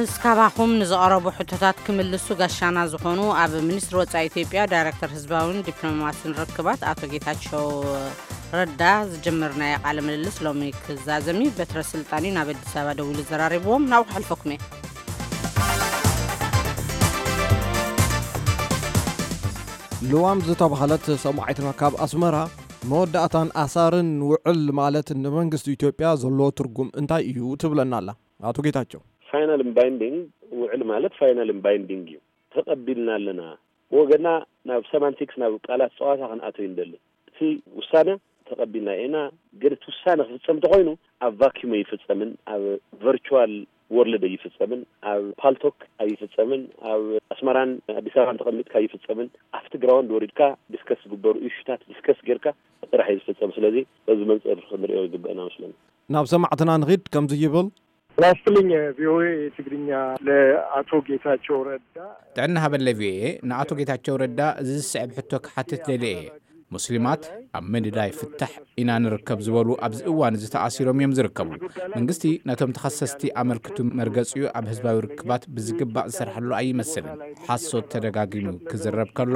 እስካባኹም ንዝቐረቡ ሕቶታት ክምልሱ ጋሻና ዝኾኑ ኣብ ሚኒስትሪ ወጻኢ ኢትዮጵያ ዳይሬክተር ህዝባውን ዲፕሎማስን ርክባት ኣቶ ጌታቸው ረዳ ዝጀመርናዮ ቃለ ምልልስ ሎሚ ክዛዘም እዩ። በትረ ስልጣን እዩ ናብ ኣዲስ ኣበባ ደዊሉ ዘራሪብዎም። ናብኡ ክሕልፈኩም እየ። ልዋም ዝተባህለት ሰማዒትና ካብ ኣስመራ፣ መወዳእታን ኣሳርን ውዕል ማለት ንመንግስቲ ኢትዮጵያ ዘለዎ ትርጉም እንታይ እዩ ትብለና ኣላ። ኣቶ ጌታቸው። Final and binding፣ ውዕል ማለት final and binding እዩ። ተቐቢልና ኣለና። ብወገና ናብ ሰማንቲክስ፣ ናብ ቃላት ጸዋታ ክንኣቶ ይንደሊ። እቲ ውሳነ ተቐቢልና ኢና፣ ግን እቲ ውሳነ ክፍጸም እንተኾይኑ ኣብ ቫኪዩም ኣይፍጸምን፣ ኣብ ቨርቹዋል ወርልድ ኣይፍጸምን፣ ኣብ ፓልቶክ ኣይፍጸምን፣ ኣብ ኣስመራን ኣዲስ ኣበባን ተቐሚጥካ ኣይፍጸምን፣ ኣብቲ ግራውንድ ወሪድካ ዲስከስ ዝግበሩ ኢሹታት ዲስከስ ጌርካ ጥራሕ እዩ ዝፍጸም። ስለዚ በዚ መንጽር ክንሪኦ ይግበአና መስለኒ። ናብ ሰማዕትና ንኺድ። ከምዚ ይብል። ጤና ይስጥልኝ ቪኦኤ ትግርኛ፣ ለአቶ ጌታቸው ረዳ። ጥዕና ሃበለይ ቪኦኤ። ንኣቶ ጌታቸው ረዳ እዚ ዝስዕብ ሕቶ ክሓትት ደልየ እየ። ሙስሊማት ኣብ ምድላይ ፍታሕ ኢና ንርከብ ዝበሉ ኣብዚ እዋን እዚ ተኣሲሮም እዮም ዝርከቡ። መንግስቲ ነቶም ተኸሰስቲ ኣመልክቱ መርገጺኡ ኣብ ህዝባዊ ርክባት ብዝግባእ ዝሰርሐሉ ኣይመስልን። ሓሶት ተደጋጊሙ ክዝረብ ከሎ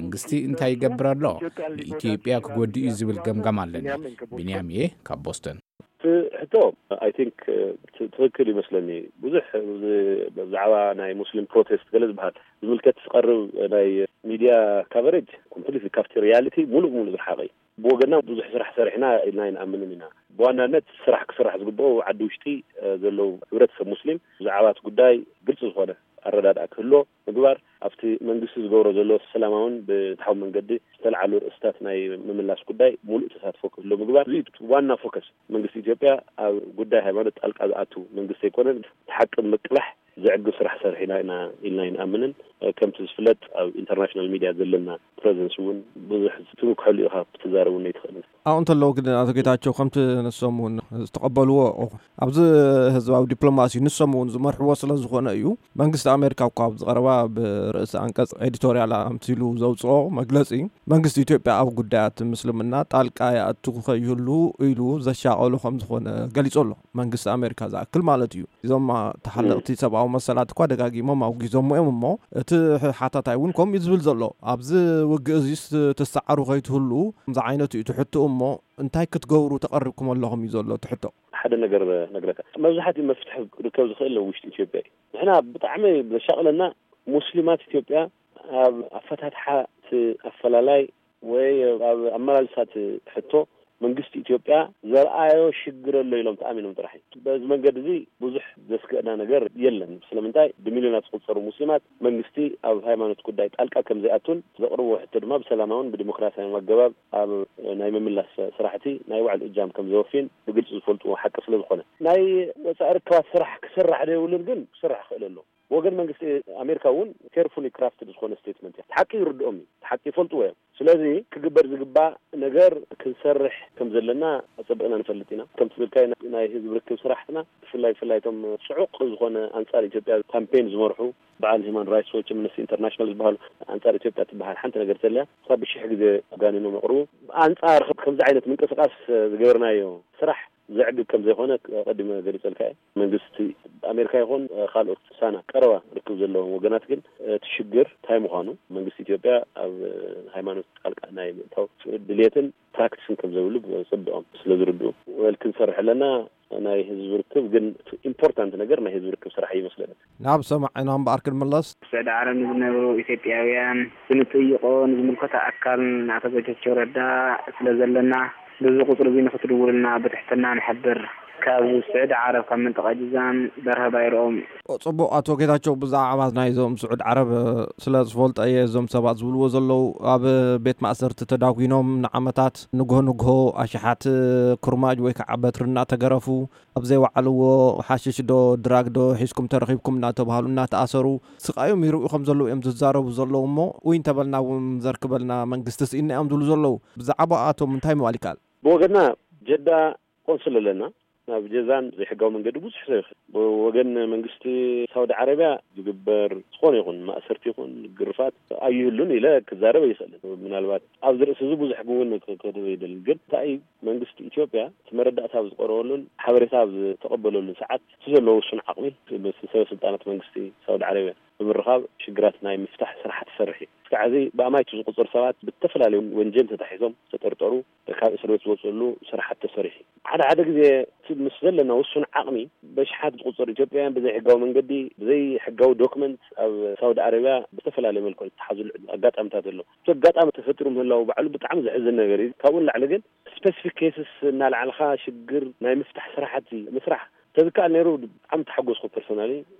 መንግስቲ እንታይ ይገብር ኣሎ? ንኢትዮጵያ ክጎድእ እዩ ዝብል ገምጋም ኣለኒ። ቢንያም እየ ካብ ቦስተን። እቲ ሕቶ I think ትኽክል ይመስለኒ። ብዙሕ ብዛዕባ ናይ ሙስሊም ፕሮቴስት ገለ ዝበሃል ዝምልከት ዝቐርብ ናይ ሚድያ ካቨሬጅ ኮምፕሊትሊ ካብቲ ሪያሊቲ ሙሉእ ብሙሉእ ዝረሓቐ እዩ። ብወገንና ብዙሕ ስራሕ ሰሪሕና ኢልና ኣይንኣምንን ኢና። ብዋናነት ስራሕ ክስራሕ ዝግብኦ ዓዲ ውሽጢ ዘለዉ ሕብረተሰብ ሙስሊም ብዛዕባ እቲ ጉዳይ ግልፂ ዝኾነ ኣረዳድኣ ክህልዎ ምግባር፣ ኣብቲ መንግስቲ ዝገብሮ ዘሎ ሰላማውን ብፍትሓዊ መንገዲ ዝተልዓሉ ርእስታት ናይ ምምላስ ጉዳይ ሙሉእ ተሳትፎ ክህልዎ ምግባር፣ እዚ ዋና ፎከስ። መንግስቲ ኢትዮጵያ ኣብ ጉዳይ ሃይማኖት ጣልቃ ዝኣቱ መንግስቲ ኣይኮነን። እቲ ሓቂ ንምቅላሕ ዘዕግብ ስራሕ ሰሪሕና ኢና ኢልና ኣይንኣምንን። ከምቲ ዝፍለጥ ኣብ ኢንተርናሽናል ሚድያ ዘለና ፕረዘንስ እውን ብዙሕ ትምክሐሉ ኢኻ ክትዛረብ እውን ኣይትኽእልን። ኣብኡ እንተለዉ ግን ኣቶ ጌታቸው ከምቲ ንሶም እውን ዝተቐበልዎ ኣብዚ ህዝባዊ ዲፕሎማሲ ንሶም እውን ዝመርሕዎ ስለ ዝኾነ እዩ። መንግስቲ ኣሜሪካ እኳ ኣብዚ ቀረባ ብርእሲ ኣንቀጽ ኤዲቶርያል ኣምሲሉ ዘውፅኦ መግለፂ መንግስቲ ኢትዮጵያ ኣብ ጉዳያት ምስልምና ጣልቃ ይኣቱ ከይህሉ ኢሉ ዘሻቐሎ ከም ዝኾነ ገሊፁ ኣሎ። መንግስቲ ኣሜሪካ ዝኣክል ማለት እዩ። እዞም ተሓለቕቲ ሰብኣዊ መሰላት እኳ ደጋጊሞም ኣውጊዞሞ እዮም እሞ እቲ ሓታታይ እውን ከምኡ እዩ ዝብል ዘሎ። ኣብዚ ውግእ እዚስ ትሰዓሩ ከይትህሉ ከምዚ ዓይነት እዩ ትሕትኡ እሞ እንታይ ክትገብሩ ተቐሪብኩም ኣለኹም እዩ ዘሎ እቲ ሕቶ። ሓደ ነገር ነግረካ፣ መብዛሕትኡ መፍትሒ ክርከብ ዝኽእል ኣብ ውሽጢ ኢትዮጵያ እዩ። ንሕና ብጣዕሚ ዘሻቕለና ሙስሊማት ኢትዮጵያ ኣብ ኣፈታትሓ እቲ ኣፈላላይ ወይ ኣብ ኣመላልሳ እቲ ሕቶ መንግስቲ ኢትዮጵያ ዘርኣዮ ሽግር ኣሎ ኢሎም ተኣሚኖም ጥራሕ እዩ። በዚ መንገዲ እዚ ብዙሕ ዘስግእና ነገር የለን። ስለምንታይ ብሚልዮናት ዝቑጸሩ ሙስሊማት መንግስቲ ኣብ ሃይማኖት ጉዳይ ጣልቃ ከም ዘይኣቱን ዘቕርብዎ ሕቶ ድማ ብሰላማውን ብዲሞክራሲያውን ኣገባብ ኣብ ናይ ምምላስ ስራሕቲ ናይ ባዕሉ እጃም ከም ዘወፍይን ብግልፂ ዝፈልጥዎ ሓቂ ስለ ዝኾነ ናይ ወፃኢ ርክባት ስራሕ ክስራሕ ዶ የብሉን ግን ክስራሕ ክኽእል ኣሎ። ብወገን መንግስቲ ኣሜሪካ እውን ኬርፉሊ ክራፍትድ ዝኾነ ስቴትመንት እያ። እቲ ሓቂ ይርድኦም እዩ፣ እቲ ሓቂ ይፈልጥዎ እዮም። ስለዚ ክግበር ዝግባእ ነገር ክንሰርሕ ከም ዘለና ኣፀቢቕና ንፈልጥ ኢና። ከምቲ ዝብልካዮ ናይ ህዝቢ ርክብ ስራሕትና ብፍላይ ብፍላይ እቶም ፅዑቕ ዝኾነ ኣንፃር ኢትዮጵያ ካምፔን ዝመርሑ በዓል ሂማን ራይትስ ዎች፣ ኣምነስቲ ኢንተርናሽናል ዝበሃሉ ኣንፃር ኢትዮጵያ ትበሃል ሓንቲ ነገር ተልያ ካብ ብሽሕ ግዜ ኣጋኒኖም የቕርቡ። ኣንፃር ከምዚ ዓይነት ምንቅስቃስ ዝገበርናዮ ስራሕ ዘዕግብ ከም ዘይኮነ ኣቐዲመ ገሊጸልካ እየ። መንግስቲ ኣሜሪካ ይኹን ካልኦት ሳና ቀረባ ርክብ ዘለዎም ወገናት ግን እቲ ሽግር እንታይ ምዃኑ መንግስቲ ኢትዮጵያ ኣብ ሃይማኖት ጣልቃ ናይ ምእታው ድልየትን ፕራክቲስን ከም ዘይብሉ ብፅብኦም ስለ ዝርድኡ ወል ክንሰርሕ ኣለና። ናይ ህዝቢ ርክብ ግን ኢምፖርታንት ነገር ናይ ህዝቢ ርክብ ስራሕ ይመስለኒ። ናብ ሰማዕና እምበኣር ክንምለስ። ስዕዲ ዓረብ ንዝነብሩ ኢትዮጵያውያን ብንጥይቆ ንዝምልከቶ ኣካል ንኣቶ ጌታቸው ረዳ ስለ ዘለና በዚ ቁፅሪ እዚ ንክትድውሉልና ብትሕትና ንሕብር። ካብ ስዕዲ ዓረብ ካብ መንጠቃ ጅዛን በርሀ ባይርኦም። ፅቡቕ ኣቶ ጌታቸው ብዛዕባ ናይዞም ስዑድ ዓረብ ስለ ዝፈልጦ እየ እዞም ሰባት ዝብልዎ ዘለዉ ኣብ ቤት ማእሰርቲ ተዳጒኖም ንዓመታት ንግሆ ንግሆ ኣሽሓት ኩርማጅ ወይ ከዓ በትሪ እናተገረፉ ኣብ ዘይወዓልዎ ሓሽሽ ዶ ድራግ ዶ ሒዝኩም ተረኺብኩም እናተባህሉ እናተኣሰሩ ስቓዮም ይርእዩ ከም ዘለዉ እዮም ዝዛረቡ ዘለዉ እሞ ውይ እንተበልና እውን ዘርክበልና መንግስቲ ስኢንና እዮም ዝብሉ ዘለዉ። ብዛዕባኣቶም እንታይ ምባል ይከኣል? ብወገንና ጀዳ ቆንስል ኣለና። ናብ ጀዛን ዘይሕጋዊ መንገዲ ብዙሕ ሰብ ይኸድ። ብወገን መንግስቲ ሳውዲ ዓረብያ ዝግበር ዝኾነ ይኹን ማእሰርቲ ይኹን ግርፋት ኣይህሉን ኢለ ክዛረብ ኣይኽእልን። ምናልባት ኣብዚ ርእሲ እዚ ብዙሕ ክውን ክክእል ይደልን፣ ግን እንታይ መንግስቲ ኢትዮጵያ እቲ መረዳእታ ኣብ ዝቐረበሉን ሓበሬታ ኣብ ዝተቐበለሉን ሰዓት እቲ ዘለዎ ውሱን ዓቕሚ ምስ ሰበ ስልጣናት መንግስቲ ሳውዲ ዓረብያ ብምርኻብ ሽግራት ናይ ምፍታሕ ስራሕቲ ሰርሕ እዩ። እስካዕ እዚ ብኣማይቱ ዝቁፅር ሰባት ብተፈላለዩ ወንጀል ተታሒዞም ዝተጠርጠሩ ካብ እስር ቤት ዝወፅሉ ስራሕቲ ተሰሪሑ። ሓደ ሓደ ግዜ እቲ ምስ ዘለና ውሱን ዓቕሚ በሽሓት ዝቁፅር ኢትዮጵያውያን ብዘይ ሕጋዊ መንገዲ ብዘይ ሕጋዊ ዶክመንት ኣብ ሳውዲ ዓረብያ ብተፈላለየ መልክዑ ዝተሓዙሉ ኣጋጣሚታት ኣሎ። እቲ ኣጋጣሚ ተፈጢሩ ምህላው ባዕሉ ብጣዕሚ ዘሕዝን ነገር እዩ። ካብኡ ንላዕሊ ግን ስፔሲፊክ ኬስስ እናልዓልካ ሽግር ናይ ምፍታሕ ስራሕቲ ምስራሕ ተዝከኣል ነይሩ ብጣዕሚ ተሓጎስኩ። ፐርሶናሊ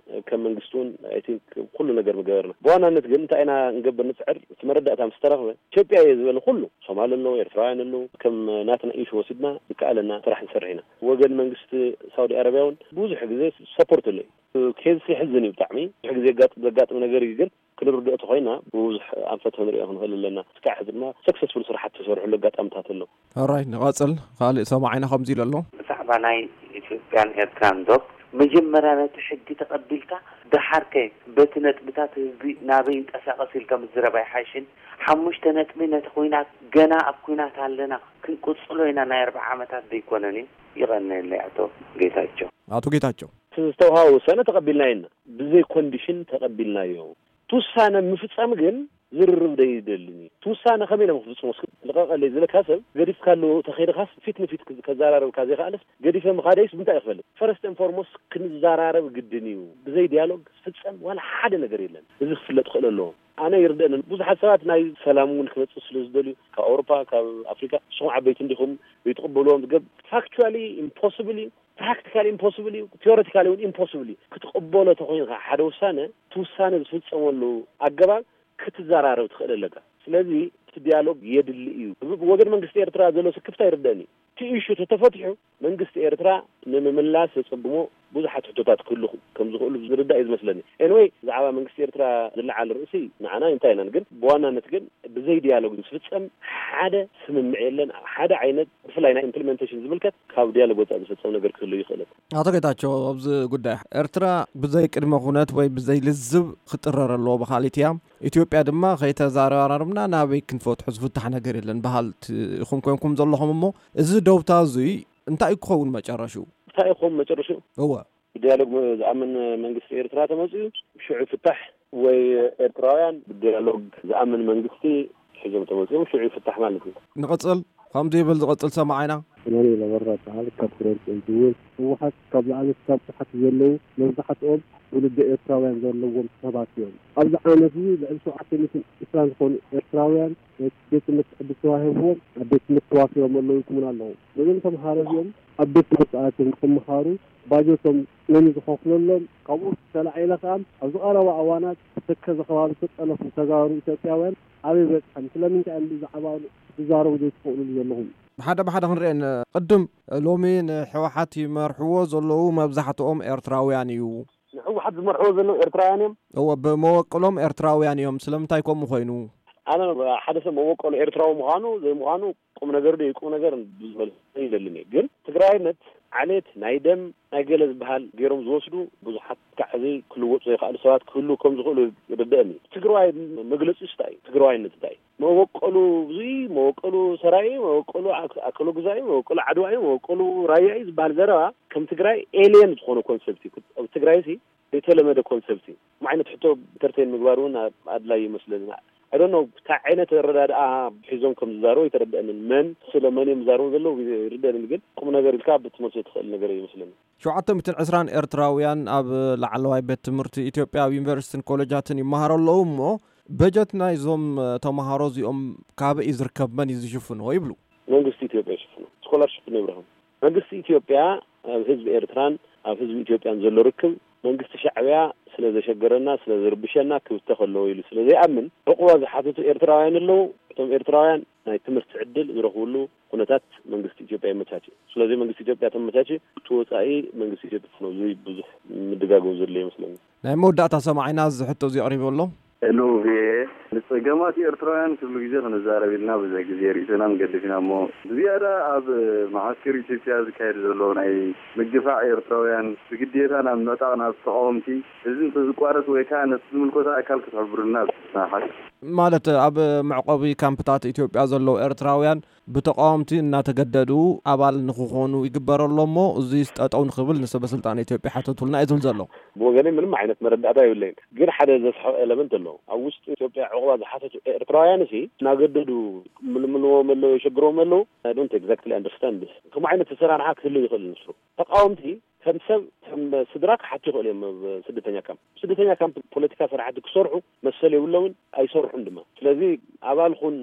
ከም መንግስቲ እውን ኣይ ቲንክ ኩሉ ነገር ምገበርና። ብዋናነት ግን እንታይ ኢና ንገብር ንፅዕር? እቲ መረዳእታ ምስ ተረኽበ ኢትዮጵያ እየ ዝበለ ኩሉ ሶማል ኣለዉ፣ ኤርትራውያን ኣለዉ፣ ከም ናትና ኢሹ ወሲድና ዝከኣለና ስራሕ ንሰርሕ ኢና። ወገን መንግስቲ ሳውዲ ኣረብያ እውን ብዙሕ ግዜ ሰፖርት ኣሎ እዩ። ኬዝ የሕዝን እዩ ብጣዕሚ። ብዙሕ ግዜ ዘጋጥ- ዘጋጥም ነገር እዩ፣ ግን ክንርድኦ ተኾይና ብብዙሕ ኣንፈት ክንሪኦ ክንኽእል ኣለና። እስካዕ ሕዚ ድማ ሰክሰስፉል ስራሓት ተሰርሕሉ ኣጋጣምታት ኣሎ። ኦራይት፣ ንቐጽል። ካልእ ሰማዓይና ከምዚ ኢሉ ኣሎ። ብዛዕባ ናይ ኢትዮጵያን ኤርትራን ዶብ መጀመርያ ነቲ ሕጊ ተቐቢልካ ደሓርከ በቲ ነጥብታት ህዝቢ ናበይ ይንቀሳቐስ ኢልካ ምዝረብ ኣይሓይሽን? ሓሙሽተ ነጥቢ ነቲ ኩናት ገና ኣብ ኩናት ኣለና ክንቅጽሎ ኢና ናይ ኣርብዓ ዓመታት ዘይኮነን እዩ። ይቐነየለይ ኣቶ ጌታቸው። ኣቶ ጌታቸው። እቲ ዝተውሃበ ውሳነ ተቐቢልናዮ ኢና። ብዘይ ኮንዲሽን ተቐቢልናዮ። እቲ ውሳነ ምፍጻም ግን ዝርርብ ደይደልን እዩ። እቲ ውሳነ ከመይ ኢሎም ክፍጽሙ? እስኪ ልቐቐለይ ዝለካ ሰብ ገዲፍካሉ ተኸይድኻስ ፊት ንፊት ክዝ- ከዘራረብካ ዘይከኣለስ ገዲፈ ምኻደይስ ብምንታይ ይኽፈልጥ? ፈረስት ኤን ፎርሞስት ክንዘራረብ ግድን እዩ። ብዘይ ዲያሎግ ዝፍጸም ዋላ ሓደ ነገር የለን። እዚ ክፍለጥ ክኽእል ኣለዎ። ኣነ ይርደእንን ብዙሓት ሰባት ናይ ሰላም እውን ክመጽእ ስለ ዝደልዩ ካብ ኣውሮፓ ካብ ኣፍሪካ ንስኹም ዓበይቲ እንዲኹም ዘይትቕበልዎም ዝገብ ፋክቹዋሊ ኢምፖስብል እዩ። ፕራክቲካሊ ኢምፖስብል እዩ። ቴዎሬቲካሊ እውን ኢምፖስብል እዩ። ክትቕበሎ ተኮይንካ ሓደ ውሳነ እቲ ውሳነ ዝፍጸመሉ ኣገባብ ክትዘራረብ ትኽእል ኣለካ። ስለዚ እቲ ዲያሎግ የድሊ እዩ። ብ- ብወገን መንግስቲ ኤርትራ ዘሎ ስክፍታ ይርደእኒ። እቲ ኢሹ ተተፈቲሑ መንግስቲ ኤርትራ ንምምላስ ዘጸግሞ ብዙሓት ሕቶታት ክህሉ ከም ዝኽእሉ ዝርዳእ እዩ ዝመስለኒ። ኤንወይ ብዛዕባ መንግስቲ ኤርትራ ዝለዓል ርእሲ ንዓና እንታይ ኢናን፣ ግን ብዋናነት ግን ብዘይ ዲያሎግ ዝፍጸም ሓደ ስምምዕ የለን። ሓደ ዓይነት ብፍላይ ናይ ኢምፕሊመንቴሽን ዝምልከት ካብ ዲያሎግ ወጻኢ ዝፍጸም ነገር ክህሉ ይኽእልን። ኣቶ ጌታቸው፣ ኣብዚ ጉዳይ ኤርትራ ብዘይ ቅድመ ኩነት ወይ ብዘይ ልዝብ ክጥረር ኣለዎ ብኻሊት እያ። ኢትዮጵያ ድማ ከይተዘራረብና ናበይ ክንፈትሖ ዝፍታሕ ነገር የለን በሃልቲ ኢኹም ኮንኩም ዘለኹም። እሞ እዚ ደውታ እዙይ እንታይ ክኸውን መጨረሽኡ? እንታይ ይኸውን መጨረሽኡ? እወ። ብዲያሎግ መ- ዝኣምን መንግስቲ ኤርትራ ተመፅኡ ሽዑ ይፍታሕ፣ ወይ ኤርትራውያን ብዲያሎግ ዝኣምን መንግስቲ ሒዞም ተመፅኦም ሽዑ ይፍታሕ ማለት እዩ። ንቐፅል። ከምዚ ይብል ዝቐፅል ሰማዓይና። ሰማኒ ለበራ በሃል ካብ ፍረንስ እንትውን ህወሓት ካብ ላዕሊ ክሳብ ታሕቲ ዘለዉ መብዛሕትኦም ውልደ ኤርትራውያን ዘለዎም ሰባት እዮም። ኣብዚ ዓመት እዚ ልዕሊ ሸውዓተ ሚእትን ዕስራን ዝኾኑ ኤርትራውያን ናይ ቤት ትምህርቲ ዕድል ተዋሂብዎም ኣብ ቤት ትምህርቲ ተዋፊሮም ኣለዉ ይኩምን ኣለዉ። ነዞም ተምሃሮ እዚኦም ኣብ ቤት ትምህርቲ ኣትዮም ንክምሃሩ ባጀቶም መን ዝኸፍለሎም? ካብኡ ተላዒለ ከኣ ኣብዚ ቀረባ እዋናት ተከዘ ከባቢ ዝተጠለፉ ተጋሩ ኢትዮጵያውያን ኣበይ በፅሐም? ስለምንታይ እዮም ብዛዕባ ዝዛረቡ ዘይትኽእሉሉ ዘለኹም? ብሓደ ብሓደ ክንሪአን ቅድም ሎሚ ንሕወሓት ይመርሕዎ ዘለዉ መብዛሕትኦም ኤርትራውያን እዩ። ንሕወሓት ዝመርሕዎ ዘለዉ ኤርትራውያን እዮም። እወ፣ ብመወቅሎም ኤርትራውያን እዮም። ስለምንታይ ከምኡ ኮይኑ? ኣነ ሓደ ሰብ መወቀሉ ኤርትራዊ ምዃኑ ዘይምዃኑ ቁም ነገር ዶ ቁም ነገር ብዙ መልሲ ይደልን እዩ። ግን ትግራይነት ዓሌት ናይ ደም ናይ ገለ ዝበሃል ገይሮም ዝወስዱ ብዙሓት ካዕ እዚ ክልወጡ ዘይከኣሉ ሰባት ክህሉ ከም ዝኽእሉ ይርደአኒ። ትግራዋይ መግለፂ እንታይ እዩ? ትግራዋይነት እንታይ እዩ? መወቀሉ ብዙይ መወቀሉ ሰራይ መወቀሉ ኣክ- ኣከሎ ግዛይ መወቀሉ ዓድዋይ መወቀሉ ራያይ ዝበሃል ዘረባ ከም ትግራይ ኤልየን ዝኾነ ኮንሰፕት እዩ። ኣብ ትግራይ ሲ ዘይተለመደ ኮንሰፕት እዩ። ም ዓይነት ሕቶ ኢንተርቴን ምግባር እውን ኣድላይ ይመስለኒ። ኣይ ዶንት ኖ እንታይ ዓይነት ኣረዳድኣ ሒዞም ከም ዝዛረቡ ኣይተረድአንን። መን ስለ መን እዮም ዝዛረቡ ዘለዉ ይርደአንን፣ ግን ቁም ነገር ኢልካ ብትመልሶ ትኽእል ነገር ይመስለኒ። ሸውዓተ ሚእትን ዕስራን ኤርትራውያን ኣብ ላዕለዋይ ቤት ትምህርቲ ኢትዮጵያ ኣብ ዩኒቨርሲቲን ኮሌጃትን ይመሃሩ ኣለዉ እሞ በጀት ናይዞም ተምሃሮ እዚኦም ካበይ እዩ ዝርከብ? መን እዩ ዝሽፍኖ ይብሉ? መንግስቲ ኢትዮጵያ ይሽፍኖ። ስኮላርሽፕ ንብረኹም መንግስቲ ኢትዮጵያ ኣብ ህዝቢ ኤርትራን ኣብ ህዝቢ ኢትዮጵያን ዘሎ ርክብ መንግስቲ ሻዕብያ ስለ ዘሸገረና ስለ ዝርብሸና ክብተኽ ኣለዎ ኢሉ ስለ ዘይኣምን ዕቑባ ዝሓተቱ ኤርትራውያን ኣለዉ። እቶም ኤርትራውያን ናይ ትምህርቲ ዕድል ዝረኽብሉ ኩነታት መንግስቲ ኢትዮጵያ የመቻች። ስለዚ መንግስቲ ኢትዮጵያ ተመቻች እቲ ወፃኢ መንግስቲ ኢትዮጵያ ነው። እዚ ብዙሕ ምድጋገው ዘሎ ይመስለኒ። ናይ መወዳእታ ሰማዒና እዚ ሕቶ እዚ ኣቕሪቡ ኣሎ። ሄሎ ቪኦኤ፣ ንጸገማት ኤርትራውያን ክሉ ግዜ ክንዛረብ ኢልና ብዙሕ ግዜ ርእስናን ገድፍና እሞ፣ ብዝያዳ ኣብ መዓስከር ኢትዮጵያ ዝካየድ ዘሎ ናይ ምግፋዕ ኤርትራውያን ብግዴታ ናብ ምዕጣቕ ናብ ተቓወምቲ፣ እዚ እንተዝቋረጽ ወይ ከኣ ነቲ ዝምልከቶ ኣካል ክትሕብሩልና ዝሓት። ማለት ኣብ መዕቆቢ ካምፕታት ኢትዮጵያ ዘለዉ ኤርትራውያን ብተቓወምቲ እናተገደዱ ኣባል ንክኾኑ ይግበረሎ እሞ፣ እዙይ ጠጠው ንክብል ንሰበ ስልጣን ኢትዮጵያ ሓተቱልና እዩ ዝብል ዘሎ። ብወገነይ ምንም ዓይነት መረዳእታ የብለይን። ግን ሓደ ዘስሕቕ ኤለመንት ኣሎ። ኣብ ውሽጢ ኢትዮጵያ ዕቑባ ዝሓተቱ ኤርትራውያን ሲ እናገደዱ ምልምልዎም ኣለዉ፣ የሸግርዎም ኣለዉ። I don't exactly understand this። ከምኡ ዓይነት ኣሰራርሓ ክህሉ ይኽእል ንሱ። ተቓወምቲ ከም ሰብ፣ ከም ስድራ ክሓቱ ይኽእሉ እዮም። ኣብ ስደተኛ ካምፕ፣ ስደተኛ ካምፕ ፖለቲካ ስራሕቲ ክሰርሑ መሰል የብሎምን፣ ኣይሰርሑን ድማ። ስለዚ ኣባል ኹን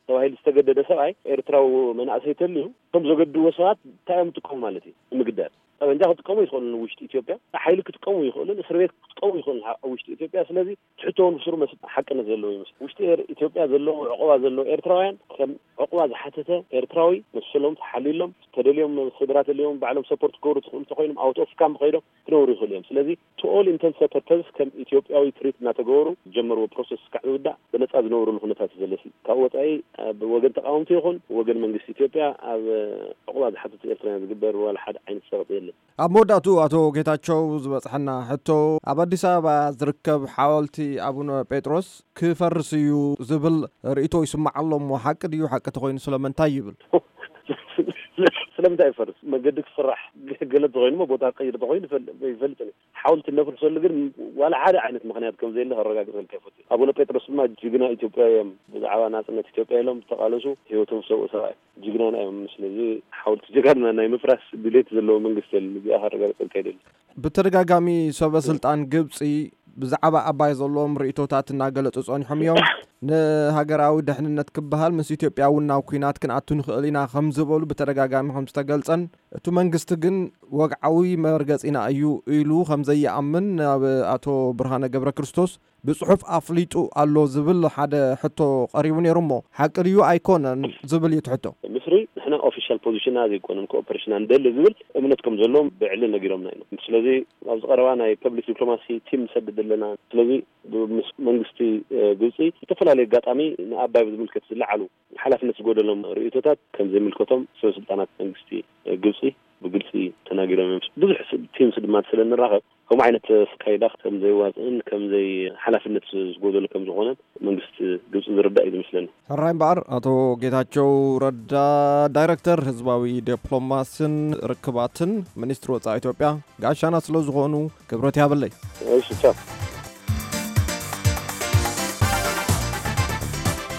ተባሂሉ ዝተገደደ ሰብኣይ ኤርትራዊ መናእሰይ ተልዩ፣ ከም ዘገድዎ ሰባት እንታይ እዮም ዝጥቀሙ ማለት እዩ? ንምግዳል ጠበንጃ ክጥቀሙ ይኽእሉ፣ ንውሽጢ ኢትዮጵያ ሓይሊ ክጥቀሙ ይኽእሉ፣ እስር ቤት ክጥቀሙ ይኽእሉ ኣብ ውሽጢ ኢትዮጵያ። ስለዚ ትሕቶ ንስሩ መስ-፣ ሓቅነት ዘለዎ ይመስል። ውሽጢ ኤር-፣ ኢትዮጵያ ዘለዉ ዕቑባ ዘለዉ ኤርትራውያን ከም ዕቑባ ዝሓተተ ኤርትራዊ መሰሎም ተሓልዩሎም፣ ተደልዮም ስድራ ተልዮም ባዕሎም ሰፖርት ክገብሩ ትኽእሉ እንተኾይኖም፣ ኣውት ኦፍ ካምፕ ከይዶም ክነብሩ ይኽእሉ እዮም። ስለዚ to all intents and purposes ከም ኢትዮጵያዊ ትሪት እናተገበሩ ዝጀመርዎ ፕሮሰስ እስካዕ ዝውዳእ ብነጻ ዝነብሩሉ ኩነታት እዩ ዘለሲ። ካብ ወጻኢ ኣብ ወገን ተቃወምቲ ይኹን ወገን መንግስቲ ኢትዮጵያ ኣብ ዕቑባ ዝሓተቱ ኤርትራውያን ዝግበር ዋላ ሓደ ዓይነት ጸቕጢ የለን። ኣብ መወዳእቱ ኣቶ ጌታቸው ዝበጽሐና ሕቶ፣ ኣብ ኣዲስ ኣበባ ዝርከብ ሓወልቲ ኣቡነ ጴጥሮስ ክፈርስ እዩ ዝብል ርእይቶ ይስማዕ ኣሎ እሞ፣ ሓቂ ድዩ? ሓቂ ተኾይኑ ስለምንታይ ይብል? ስለምንታይ ይፈርስ? መገዲ ክስራሕ ገለ ተኾይኑ እሞ፣ ቦታ ክቀይር ተኾይኑ ይፈል-፣ ይፈልጥን እዩ። ሓወልቲ እነፍርሰሉ ግን ዋላ ሓደ ዓይነት ምኽንያት ከም ዘየለ ከረጋግጸልካ ይፈቱ። ኣቡነ ጴጥሮስ ድማ ጅግና ኢትዮጵያ እዮም። ብዛዕባ ናጽነት ኢትዮጵያ ኢሎም ዝተቓለሱ፣ ህይወቶም ዝሰውኡ ሰብኣይ ጅግናና እዮም። ስለዚ ሓወልቲ ጀጋኑና ናይ ምፍራስ ድሌት ዘለዎ መንግስቲ የለን። እዚኣ ከረጋግጸልካ ይደሊ። ብተደጋጋሚ ሰበ ስልጣን ግብጺ ብዛዕባ ኣባይ ዘለዎም ርእይቶታት እናገለጹ ጸኒሖም እዮም። ንሃገራዊ ድሕንነት ክበሃል ምስ ኢትዮጵያ እውን ናብ ኲናት ክንኣቱ ንኽእል ኢና ከም ዝበሉ ብተደጋጋሚ ከም ዝተገልጸን፣ እቲ መንግስቲ ግን ወግዓዊ መርገጺና እዩ ኢሉ ከም ዘይኣምን ናብ ኣቶ ብርሃነ ገብረ ክርስቶስ ብጽሑፍ ኣፍሊጡ ኣሎ ዝብል ሓደ ሕቶ ቀሪቡ ነይሩ እሞ፣ ሓቂ ድዩ ኣይኮነን ዝብል እዩ እቲ ሕቶ። ምስሪ ንሕና ኦፊሻል ፖዚሽንና ዘይኮነን ኮኦፐሬሽንና ንደሊ ዝብል እምነት ከም ዘለዎም ብዕሊ ነጊሮምና ኢና። ስለዚ ኣብዚ ቀረባ ናይ ፐብሊክ ዲፕሎማሲ ቲም ንሰድድ ኣለና። ስለዚ ምስ መንግስቲ፣ እ፣ ግብጺ ዝተፈላለዩ ኣጋጣሚ ንኣባይ ብዝምልከት ዝለዓሉ ሓላፍነት ዝጎደሎም ርእይቶታት ከም ዘይምልከቶም ሰበ ስልጣናት መንግስቲ፣ እ፣ ግብጺ ብግልጺ ተናጊሮም እዮም። ብዙሕ ስ-፣ ቲምስ ድማ ስለ እንራኸብ ከምኡ ዓይነት ኣካይዳ ከም ዘይዋፅእን ከም ዘይ ሓላፍነት ዝጎደሎ ከም ዝኾነን መንግስቲ ግብጺ ዝርዳእ እዩ ዝመስለኒ። ሕራይ እምበኣር ኣቶ ጌታቸው ረዳ ዳይረክተር ህዝባዊ ዲፕሎማስን ርክባትን ሚኒስትሪ ወፃኢ ኢትዮጵያ ጋሻና ስለ ዝኾኑ ክብረት ያብለይ። እሺ፣ ቻው።